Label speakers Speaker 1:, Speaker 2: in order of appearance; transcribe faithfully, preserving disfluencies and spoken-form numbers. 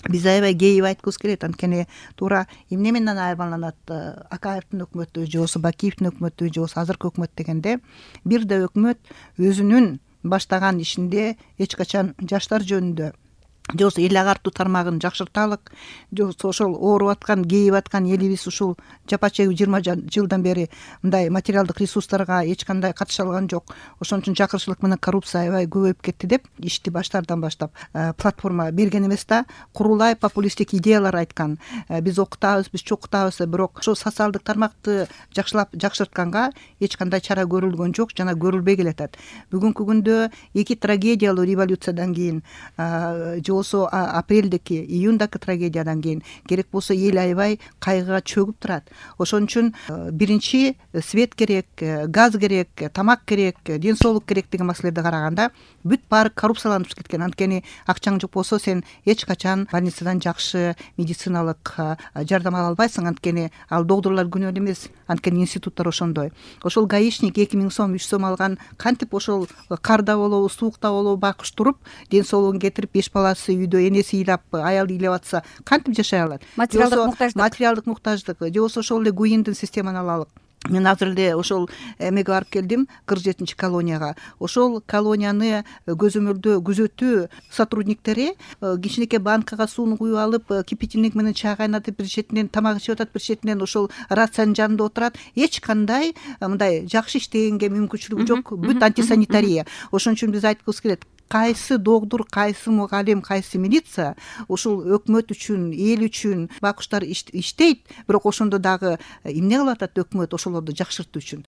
Speaker 1: биз аябай кейип айткыбыз келет. Анткени туура эмне менен айырмаланат Акаевдин өкмөтү же болбосо Бакиевдин өкмөтү же болбосо азыркы өкмөт дегенде, бир да өкмөт өзүнүн баштаган ишинде эч качан жаштар жөнүндө же болбосо эл агартуу тармагын жакшырталык, же болбосо ошол ооруп аткан, кейип аткан элибиз ушул жапа чегүү жыйырма жылдан бери мындай материалдык ресурстарга эч кандай катыша алган жок, ошон үчүн жакырчылык менен коррупция аябай көбөйүп кетти деп ишти баштардан баштап платформа берген эмес да, курулай популисттик идеялар айткан. Биз окутабыз, биз чокутабыз, бирок ошол социалдык тармакты жакшылап жакшыртканга эч кандай чара көрүлгөн жок жана көрүлбөй келатат. Бүгүнкү күндө эки трагедиялуу революциядан кийин же болбосо апрелдеки, июндагы трагедиядан кийин керек болсо эл аябай кайгыга чөгүп турат. Ошон үчүн биринчи свет керек, газ керек, тамак керек, ден соолук керек деген маселелерди караганда бүт баары коррупцияланып кеткен. Анткени акчаң жок болсо сен эч качан больницадан жакшы медициналык жардам ала албайсың. Анткени ал докторлор күнөө эмес, анткени институттар ошондой. Ошол гаишник эки миң сом, үч сом алган кантип ошол карда болобу, суукта болобу бакыш туруп, ден соолугун кетирип, беш баласы үйдө энеси ыйлап, аялы ыйлап атса кантип жашай алат?
Speaker 2: Материалдык муктаждык.
Speaker 1: Материалдык муктаждык. Же болбосо ошол эле ГУИндин системаны алалык. Мен азыр эле ошол эмеге барып келдим, кырк жетинчи колонияга. Ошол колонияны көзөмөлдөө күзөтүү сотрудниктери кичинекей банкага сууну куюп алып, кипятильник менен чай кайнатып, бир четинен тамак ичип атат, бир четинен ошол рациянын жанында отурат. Эч кандай мындай жакшы иштегенге мүмкүнчүлүгү жок. Бүт антисанитария. Ошон үчүн биз айткыбыз келет, кайсы доктур, кайсы мугалим, кайсы милиция ушул өкмөт үчүн, эл үчүн бакуштар иштейт, бирок ошондо дагы эмне кылып атат өкмөт ошолорду жакшыртуу үчүн?